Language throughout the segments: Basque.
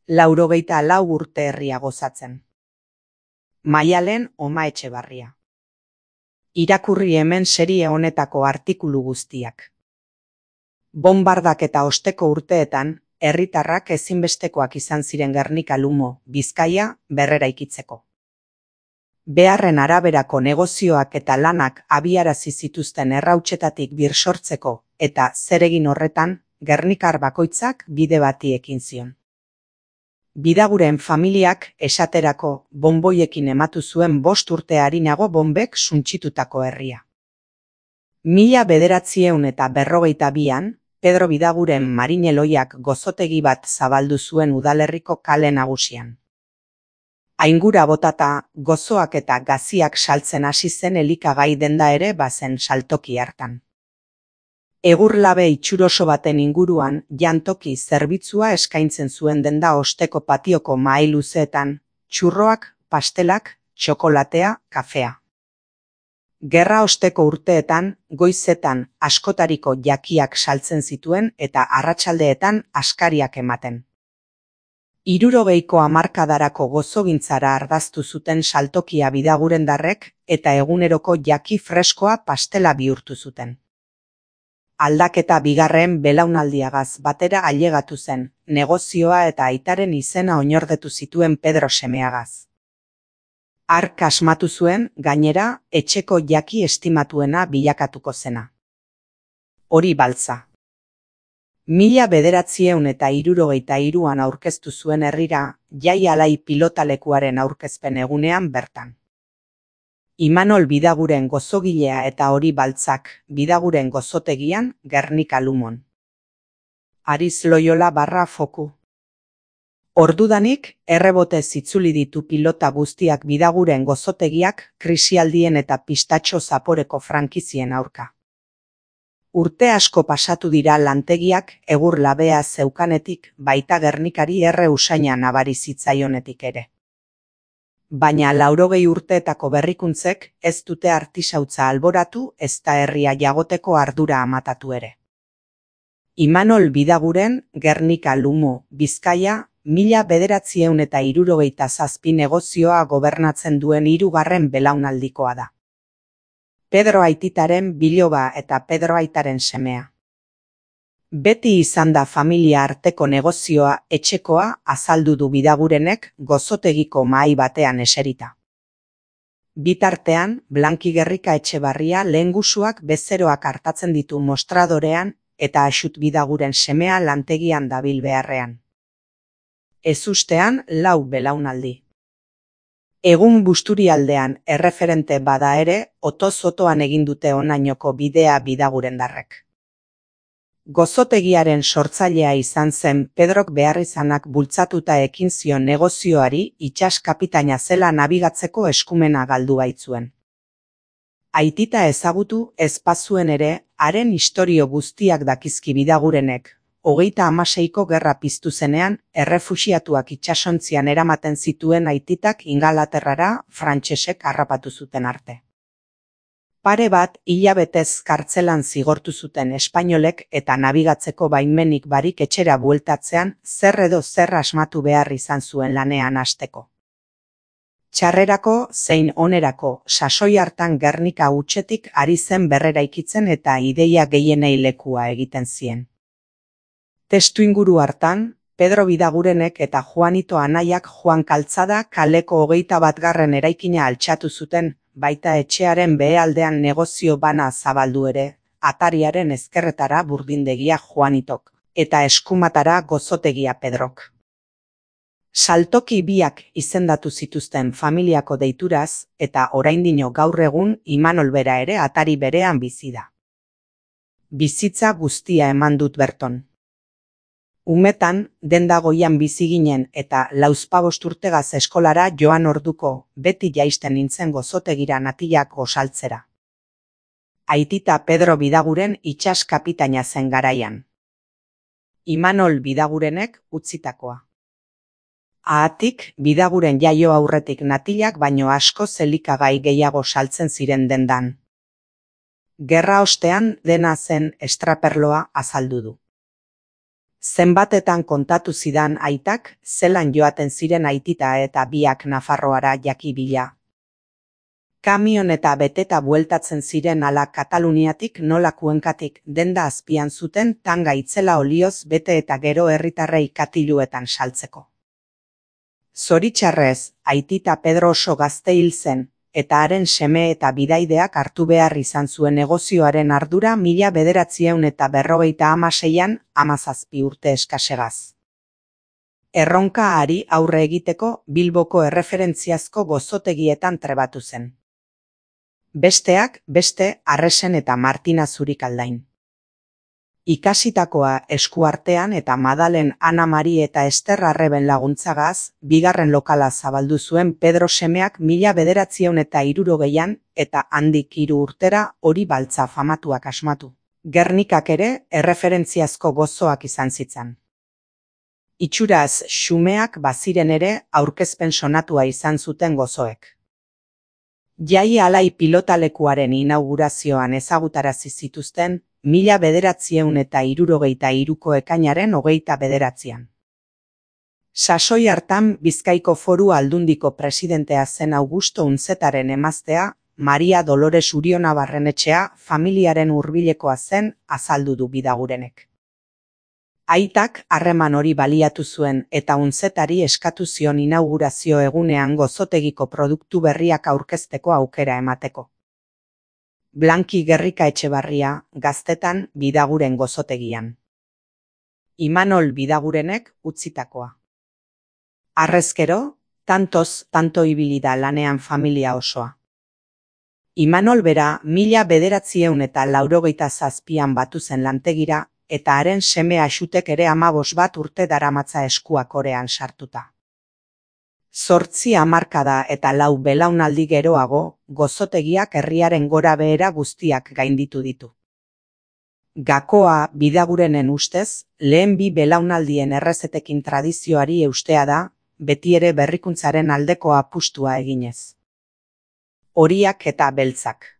94 urte herria gozatzen. Maialen Oma Etxebarria. Irakurri hemen serie honetako artikulu guztiak. Bonbardaketa osteko urteetan, herritarrak ezinbestekoak izan ziren Gernika Lumo, Bizkaia, berreraikitzeko. Beharren araberako negozioak eta lanak abiarazi zituzten errautsetatik birsortzeko eta zeregin horretan, gernikar bakoitzak bide bati ekin zion. Bidaguren familiak esaterako bonboiekin ematu zuen 5 urte harinago bonbek suntsitutako herria. 1942an, Pedro Bidaguren marineloiak gozotegi bat zabaldu zuen udalerriko kale nagusian. Aingura botata, gozoak eta gaziak saltzen hasi zen elikagai denda ere bazen saltoki hartan. Egurlabe itxuroso baten inguruan jantoki zerbitzua eskaintzen zuen denda osteko patioko mahai luzeetan, txurroak, pastelak, txokolatea, kafea. Gerra osteko urteetan, goizetan askotariko jakiak saltzen zituen eta arratsaldeetan askariak ematen. 60ko hamarkadarako gozogintzara ardaztu zuten saltokia bidagurendarrek eta eguneroko jaki freskoa pastela bihurtu zuten. Aldaketa bigarren belaunaldiagaz batera ailegatu zen, negozioa eta aitaren izena oinordetu zituen Pedro semeagaz. Hark asmatu zuen, gainera, etxeko jaki estimatuena bilakatuko zena. Hori baltza. 1963an aurkeztu zuen herrira, Jai Alai pilotalekuaren aurkezpen egunean bertan. Imanol Bidaguren gozogilea eta hori baltzak, Bidaguren gozotegian, Gernika Lumon. Ariz Loyola /Foku. Ordudanik, errebotez itzuli ditu pilota guztiak Bidaguren gozotegiak, krisialdien eta pistatxo zaporeko frankizien aurka. Urte asko pasatu dira lantegiak egur labea zeukanetik, baita Gernikari erre usaina nabari zitzaionetik ere. Baina 80 urteetako berrikuntzek ez dute artisautza alboratu ezta herria jagoteko ardura amatatu ere. Imanol Bidaguren, Gernika Lumo, Bizkaia, 1967 negozioa gobernatzen duen 3. belaunaldikoa da. Pedro aititaren biloba eta Pedro aitaren semea. Beti izan da familia arteko negozioa etxekoa azaldu du Bidagurenek gozotegiko mahai batean eserita. Bitartean, Blanki Gerrika Etxebarria lehengusuak bezeroak hartatzen ditu mostradorean eta Axut Bidaguren semea lantegian dabil beharrean. Ezustean 4 belaunaldi. Egun Busturialdean erreferente bada ere, otoz-otoan egin dute honainoko bidea Bidagurendarrek. Gozotegiaren sortzailea izan zen Pedrok beharrizanak bultzatuta ekin zion negozioari itsas kapitaina zela nabigatzeko eskumena galdu baitzuen. Aitita ezagutu ez bazuen ere, haren istorio guztiak dakizki Bidagurenek, 36ko gerra piztu zenean, errefuxiatuak itsasontzian eramaten zituen aititak Ingalaterrara frantsesek harrapatu zuten arte. Pare bat hilabetez kartzelan zigortu zuten espainolek eta nabigatzeko baimenik barik etxera bueltatzean zer edo zer asmatu behar izan zuen lanean hasteko. Txarrerako zein onerako sasoi hartan Gernika hutsetik ari zen berreraikitzen eta ideia gehienei lekua egiten zien. Testuinguru hartan, Pedro Bidagurenek eta Juanito anaiak Juan Kaltzada kaleko 21. eraikina altxatu zuten, baita etxearen behealdean negozio bana zabaldu ere, atariaren ezkerretara burdindegia Juanitok, eta eskumatara gozotegia Pedrok. Saltoki biak izendatu zituzten familiako deituraz, eta oraindino gaur egun Imanol bera ere atari berean bizi da. Bizitza guztia eman dut berton. Umetan, denda goian bizi ginen eta 45 urtegaz eskolara joan orduko, beti jaisten nintzen gozotegira natilak gosaltzera. Aitita Pedro Bidaguren itsas kapitaina zen garaian. Imanol Bidagurenek utzitakoa. Ahatik, Bidaguren jaio aurretik natilak baino asko elikagai gehiago saltzen ziren dendan. Gerra ostean dena zen estraperloa azaldu du. Zenbatetan kontatu zidan aitak, zelan joaten ziren aitita eta biak Nafarroara jakibila. Kamion eta beteta bueltatzen ziren ala Kataluniatik nola Kuenkatik denda azpian zuten tanga itzela olioz bete eta gero herritarrei katiluetan saltzeko. Zoritxarrez, aitita Pedro oso gazte hil zen, eta haren seme eta bidaideak hartu behar izan zuen negozioaren ardura 1956an 17 urte eskasegaz. Erronka hari aurre egiteko Bilboko erreferentziazko gozotegietan trebatu zen. Besteak beste Arresen eta Martina Zurikaldain. Ikasitakoa eskuartean eta Madalen Ana Mari eta Ester Arreben laguntzagaz, bigarren lokala zabaldu zuen Pedro semeak 1960an eta handik 3 urtera Hori Baltza famatuak asmatu. Gernikak ere erreferentziazko gozoak izan zitzan. Itxuraz xumeak baziren ere aurkezpen sonatua izan zuten gozoek. Jai alai pilotalekuaren inaugurazioan ezagutarazi zituzten 1963ko ekainaren 29an. Sasoi hartan Bizkaiko Foru Aldundiko presidentea zen Augusto Unzetaren emaztea, Maria Dolores Uriona Barrenetxea familiaren hurbilekoa zen azaldu du Bidagurenek. Aitak harreman hori baliatu zuen eta Unzetari eskatu zion inaugurazio egunean gozotegiko produktu berriak aurkezteko aukera emateko. Blanki Gerrika Etxebarria, Gaztetan Bidaguren gozotegian. Imanol Bidagurenek utzitakoa. Harrezkero, tanto ibili da lanean familia osoa. Imanol bera 1987an batu zen lantegira, eta haren seme Axutek ere 15 urte daramatza eskuakorean sartuta. 8 hamarkada eta 4 belaunaldi geroago, gozotegiak herriaren gora behera guztiak gainditu ditu. Gakoa Bidagurenen ustez, lehen 2 belaunaldien errezetekin tradizioari eustea da, beti ere berrikuntzaren aldeko apustua eginez. Horiak eta beltzak.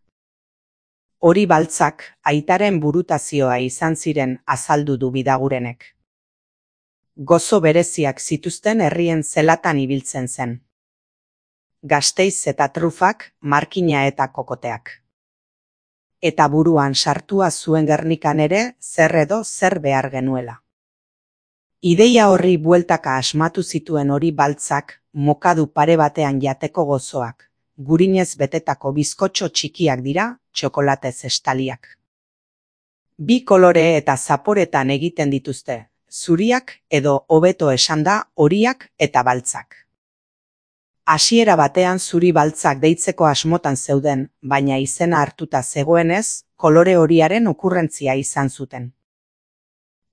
Hori Baltzak aitaren burutazioa izan ziren azaldu du Bidagurenek. Gozo bereziak zituzten herrien zelatan ibiltzen zen. Gasteiz eta trufak, markina eta kokoteak. Eta buruan sartua zuen Gernikan ere zer edo zer behar genuela. Ideia horri bueltaka asmatu zituen Hori Baltzak, mokadu pare batean jateko gozoak. Gurinez betetako bizkotxo txikiak dira, txokolatez estaliak. 2 kolore eta zaporetan egiten dituzte, zuriak edo hobeto esanda horiak eta baltzak. Hasiera batean Zuri Baltzak deitzeko asmotan zeuden, baina izena hartuta zegoenez, kolore horiaren okurrentzia izan zuten.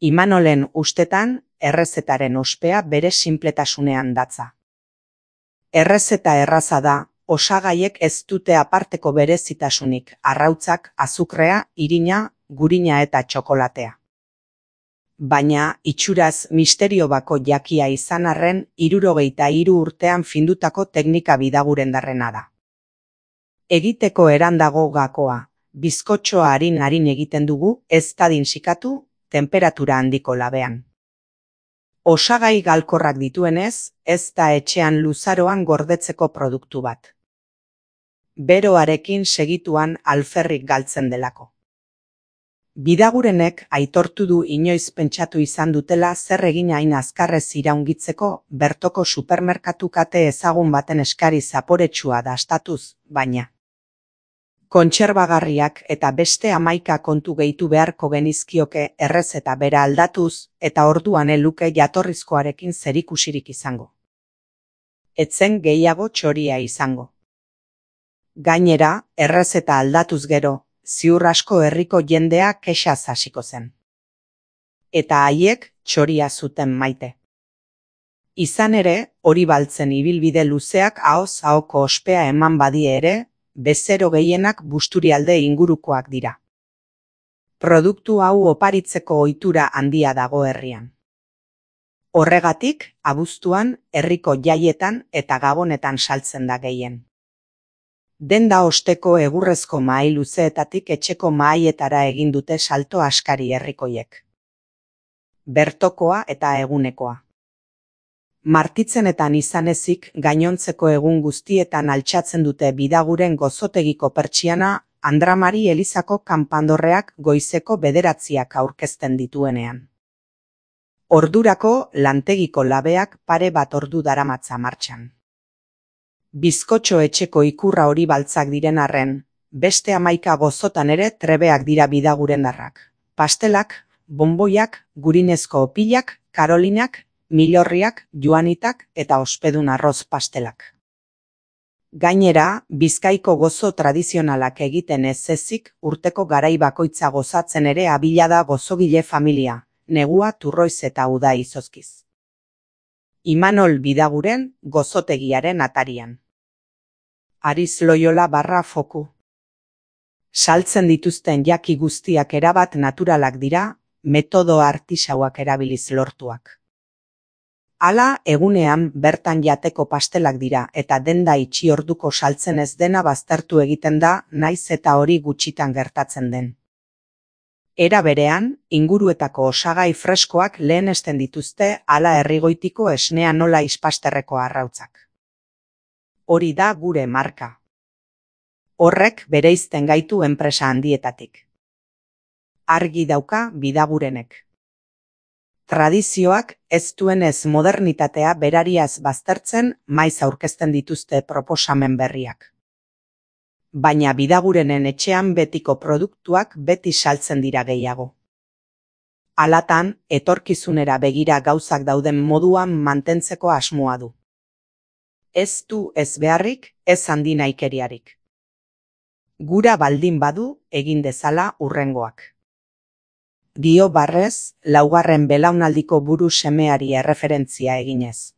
Imanolen ustetan, errezetaren ospea bere sinpletasunean datza. Errezeta erraza da, osagaiek ez dute aparteko berezitasunik, arrautzak, azukrea, irina, gurina eta txokolatea. Baina, itxuraz misterio bako jakia izan arren 73 urtean findutako teknika Bidagurendarrena da. Egiteko erandago gakoa, bizkotxoa harin egiten dugu, ez dadin sikatu, temperatura handiko labean. Osagai galkorrak dituenez, ez da etxean luzaroan gordetzeko produktu bat. Beroarekin segituan alferrik galtzen delako. Bidagurenek aitortu du inoiz pentsatu izan dutela zer egin hain azkarrez iraungitzeko bertoko supermerkatu kate ezagun baten eskari zaporetsua dastatuz, baina. Kontserbagarriak eta beste 11 kontu gehitu beharko genizkioke errezeta bera aldatuz eta orduan eluke jatorrizkoarekin zerikusirik izango. Etzen gehiago txoria izango. Gainera, errezeta aldatuz gero, ziur asko herriko jendea kexaz hasiko zen. Eta haiek txoria zuten maite. Izan ere, Hori Baltzen ibilbide luzeak ahoz ahoko ospea eman badie ere, bezero gehienak Busturialde ingurukoak dira. Produktu hau oparitzeko ohitura handia dago herrian. Horregatik, abuztuan, herriko jaietan eta gabonetan saltzen da gehien. Denda osteko egurrezko mahai luzeetatik etxeko mahaietara egin dute salto askari herrikoiek. bertokoa eta egunekoa. Martitzenetan izan ezik gainontzeko egun guztietan altxatzen dute Bidaguren gozotegiko pertsiana Andramari elizako kanpandorreak goizeko 9 aurkezten dituenean. Ordurako lantegiko labeak pare bat ordu daramatza martxan. Bizkotxo etxeko ikurra hori baltzak diren arren, beste 11 gozotan ere trebeak dira bidagurendarrak. Pastelak, bonboiak, gurinezko opilak, karolinak, milorriak, joanitak eta ospedun arroz pastelak. Gainera, Bizkaiko gozo tradizionalak egiten ez ezik urteko garai bakoitza gozatzen ere abila da gozogile familia, negua turroiz eta uda izozkiz. Imanol Bidaguren gozotegiaren atarian. Ariz Loyola /foku. Saltzen dituzten jaki guztiak erabat naturalak dira, metodo artisauak erabiliz lortuak. Hala, egunean bertan jateko pastelak dira eta denda itxi orduko saltzen ez dena baztertu egiten da, naiz eta hori gutxitan gertatzen den. Era berean, inguruetako osagai freskoak lehenesten dituzte hala herrigoitiko esnea nola ispasterreko arrautzak. Hori da gure marka. Horrek bereizten gaitu enpresa handietatik. Argi dauka Bidagurenek. Tradizioak ez duenez modernitatea berariaz baztertzen maiz aurkezten dituzte proposamen berriak. Baina Bidagurenen etxean betiko produktuak beti saltzen dira gehiago. Halatan, etorkizunera begira gauzak dauden moduan mantentzeko asmoa du. Ez du ez beharrik, ez handi nahikeriarik. Gura baldin badu egin dezala hurrengoak. Dio barrez, 4. belaunaldiko buru semeari erreferentzia eginez.